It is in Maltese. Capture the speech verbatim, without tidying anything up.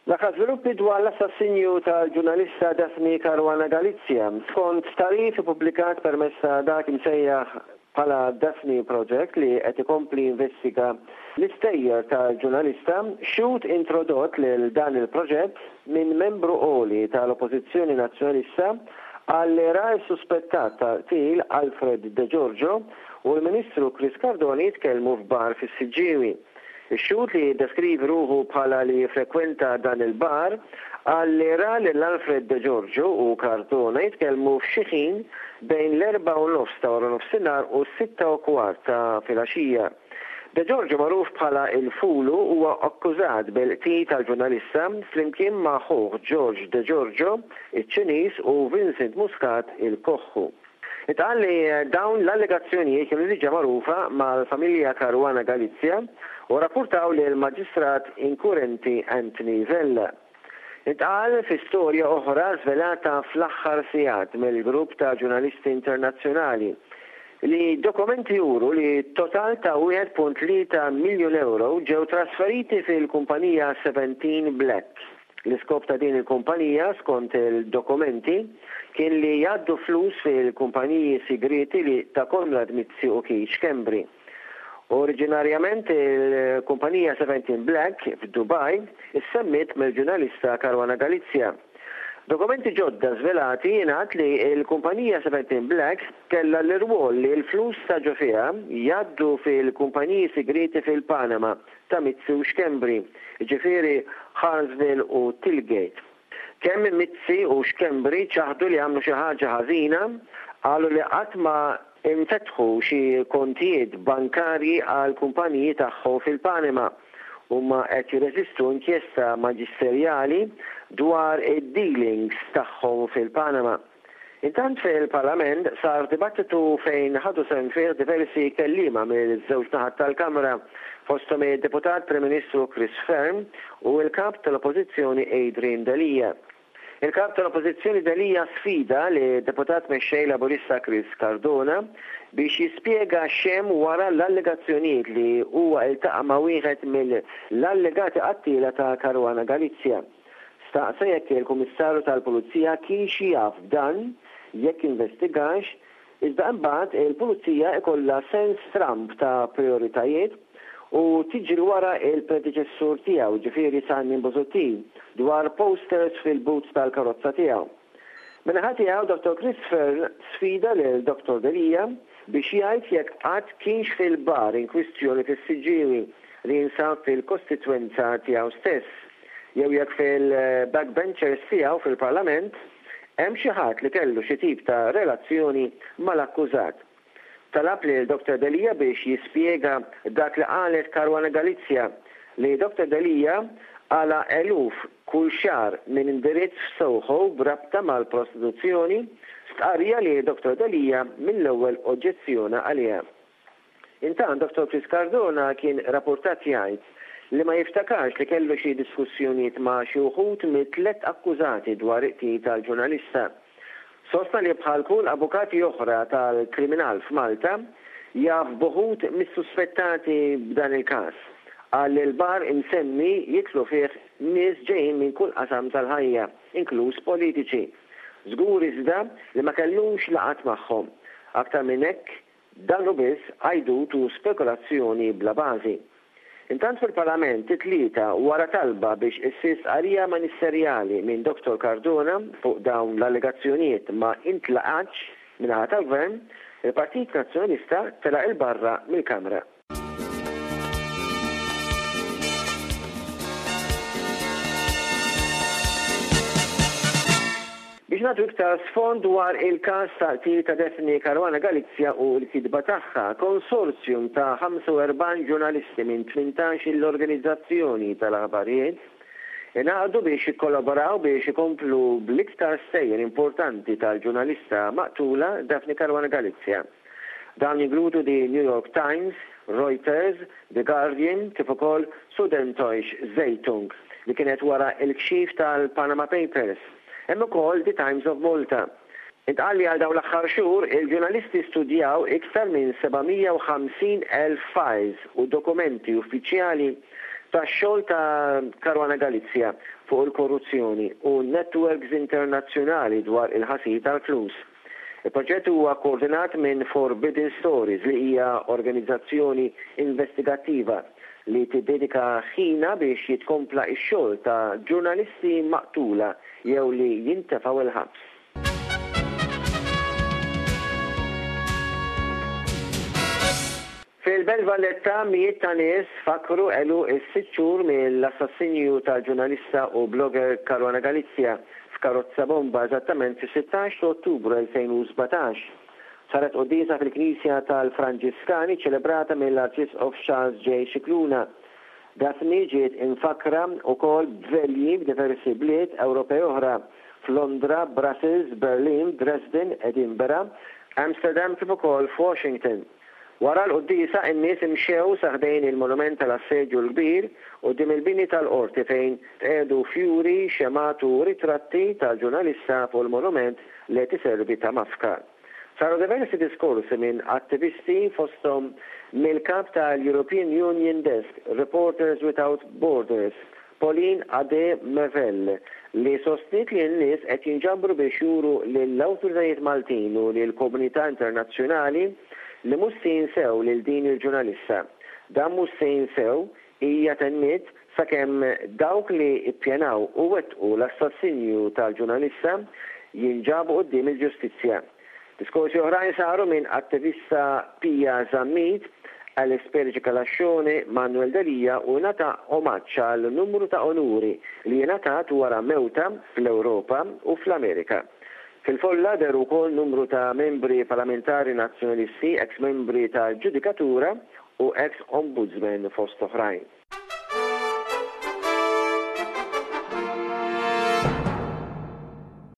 L-aħħar żviluppi dwar l-assassinju tal-ġurnalista Daphne Caruana Galizia. Skont tagħrif ippubblikat permezz ta' dak imsejjaħ bħala Daphne Project li qed ikompli jinvestiga l-istejjer tal-ġurnalista, xhud introdott lil dan il-proġett minn membru għoli tal-Oppożizzjoni Nazzjonalista qal li ra s-suspettat tal-qtil Alfred De Giorgio u l-Ministru Chris Cardona jitkellmu f'bar fis-Siġġiewi. Ix-xhud li jiddeskrivi ruħu bħala li jiffrekwenta dan il-bar qal li ra lil Alfred De Giorgio u Cardona jitkellmu f'xi ħin bejn l-erbgħa u nofs ta' waranofsinhar u s-sitta u kwart ta' filgħaxija. De Giorgio magħruf bħala il-Fulu huwa akkużat bil-qtil tal-ġurnalista flimkien ma' ħuh George De Giorgio, iċ-Ċiniż u Vincent Muscat il-Koħħu. Intqal li dawn l-allegazzjonijiet kienu diġà magħrufa mal-familja Caruana Galizia u rrappurtaw lill-Maġistrat inkurenti Anthony Vella. Intqal fi storja oħra żvelata fl-aħħar sigħat mill-grupp ta' ġurnalisti internazzjonali li dokumenti juru li total ta' wieħed punt tlieta miljun ewro ġew trasferiti fil-kumpanija Seventeen Black. L-iskop ta' din il-kumpanija, skont il-dokumenti, kien li jgħaddu flus fil-kumpaniji sigrieti li ta' Konrad Mizzi u Keith Schembri. Oriġinarjament il-kumpanija Seventeen Black f'Dubai issemmiet mill-ġurnalista Caruana Galizia. Dokumenti ġodda żvelati jingħad li l-kumpanija Seventeen Black kellha l-irwol li l-flus ta' ġo fiha jgħaddu fil-kumpaniji sigrieti fil-Panama ta' Mizzi u Schembri, jiġifieri Hartsville u Tillgate. Kemm Mizzi u Schembri ċaħdu li għamlu xi ħaġa ħażina, qalu li qatt ma infetħu xi kontijiet bankarji għal kumpaniji tagħhom fil-Panama. Huma qed jirreżistu inkjesta maġisterjali dwar id-dealings tagħhom fil-Panama. Intant fil-Parlament sar dibattitu fejn ħadu sehem fih diversi kelliema mill-żewġ naħat tal-Kamra, fosthom id-Deputat Prim Ministru Chris Fearne u l-Kap tal-Oppożizzjoni Adrian Delia. Il-Kap tal-Oppożizzjoni Delia sfida li Deputat Mexxej Laburista Chris Cardona biex jispjega x'hemm wara l-allegazzjonijiet li huwa iltaqa' ma' wieħed mill-allegati qattiela ta' Caruana Galizia. Staqsa jekk il-Kummissarju tal-Pulizija kienx jaf b'dan, jekk investigax, iżda imbagħad il-Pulizija ikollha sens stramb ta' prioritajiet u tiġri wara il-predeċessur tiegħu, ġifieri Simon Busuttil, dwar posters fil-boots tal-karozza tiegħu. Min-naħa tiegħu Dottor Chris Fearne sfida lil Dottor Delia biex jgħid jekk qatt kienx fil-bar in kwistjoni fis-Siġġiewi li jinsab fil-kostitwenza tiegħu stess, jew jekk fil-backbenchers tiegħu fil-Parlament hemm xi ħadd li kellu xi tip ta' relazzjoni mal-akkużat. Talab lil Dottor Delia biex jispjega dak li qalet Caruana Galizia li Dottor Delia għala eluf kull xahar minn indirizz f'Soho b'rabta mal-prostituzzjoni, stqarrija li Dottor Delia mill-ewwel oġġezzjona għaliha. Intant Dottor Chris Cardona kien rapportat jgħid li ma jiftakarx li kellu xi diskussjonijiet ma' xi wħud mit-tliet akkużati dwar iqtil tal-ġurnalista. Sostna li bħal kull avukati oħra tal-kriminal f'Malta jaf buħut mis-suspettati b'dan il-każ. Qal li l-bar imsemmi jitlu fih nies ġejjin minn kull qasam tal-ħajja, inkluż politiċi. Żgur iżda li ma kellux laqat magħhom. Aktar minn hekk, dan hu biss għajdut u spekulazzjoni bla bażi. Intant fil-Parlament it-tlieta wara talba biex issir stqarrija ministerjali minn Dottor Cardona fuq dawn l-allegazzjonijiet ma intlaqatx min-naħa tal-Gvern, il-Partit Nazzjonalista telaq il-barra mill-Kamra. Biex nagħtu iktar sfond dwar il-każ ta' qtil ta' Daphne Caruana Galizia u l-kitba tagħha, konsorzjum ta' ħamsa u erbgħin ġurnalisti minn tmintax l-organizzazzjoni tal-aħbarijiet ingħaqdu biex jikkollaboraw biex ikomplu bl-iktar stejjer importanti tal-ġurnalista maqtula Daphne Caruana Galizia. Dawn jinkludu The New York Times, Reuters, The Guardian, kif ukoll Süddeutsche Zeitung li kienet wara il-kxif tal-Panama Papers. Hemm ukoll The Times of Malta. Intqal li għal dawn l-aħħar xhur il-ġurnalisti studjaw iktar minn seba' mija u ħamsin elf files u dokumenti uffiċjali tax-xogħol ta' Caruana Galizia fuq il-korruzzjoni u networks internazzjonali dwar il-ħasil tal-flus. Il-proġett huwa koordinat minn Forbidden Stories, li hija organizzazzjoni investigattiva li tiddedika ħina biex jitkompla x-xogħol ta' ġurnalisti maqtula jew li jintefgħu il-ħabs. Fil-Belt Valletta, mijiet ta' nies fakru għeluq is-sitt xhur mill-assassinju tal-ġurnalista u blogger Caruana Galizia f'karozza bomba, eżattament fis-sittax ta' Ottubru elfejn u sbatax. Saret quddiesa fil-Knisja tal-Franġiskani, ċelebrata mill-Arċisqof Charles J. Scicluna. Daphne ġiet imfakra wkoll b'velji f'diversi bliet Ewropej oħra, f'Londra, Brussels, Berlin, Dresden, Edinburgh, Amsterdam kif ukoll f'Washington. Wara l-quddiesa, in-nies imxew sa ħdejn il-monument tal-Assedju l-Kbir quddiem il-bini tal-qorti, fejn tqiegħdu fjuri, xemgħat u ritratti tal-ġurnalista fuq il-monument li tiservi ta' mafkar. Saru diversi diskorsi minn attivisti, fosthom mill-kap tal-European Union Desk, Reporters Without Borders, Pauline Ade Mevel, li sostniet li n-nies qed jinġabru biex juru lill-awtoritajiet Maltin u lill-komunità internazzjonali li mhux se jinsew lil din il-ġurnalista. Dan mhux se jinsew, hija tenniet, sakemm dawk li ippjanaw u wettqu l-assassinju tal-ġurnalista jinġabu quddiem il-ġustizzja. Diskorsi oħrajn saru minn attivista Pia Zammit, Alex Perici Calascione, Manuel Delia u ngħata omaġġ għal numru ta' onuri li ngħatat wara mewtha fl-Ewropa u fl-Amerika. Fil-folla dehru wkoll numru ta' membri parlamentari nazzjonalisti, ex-membri tal-ġudikatura u ex-ombudsman, fost oħrajn.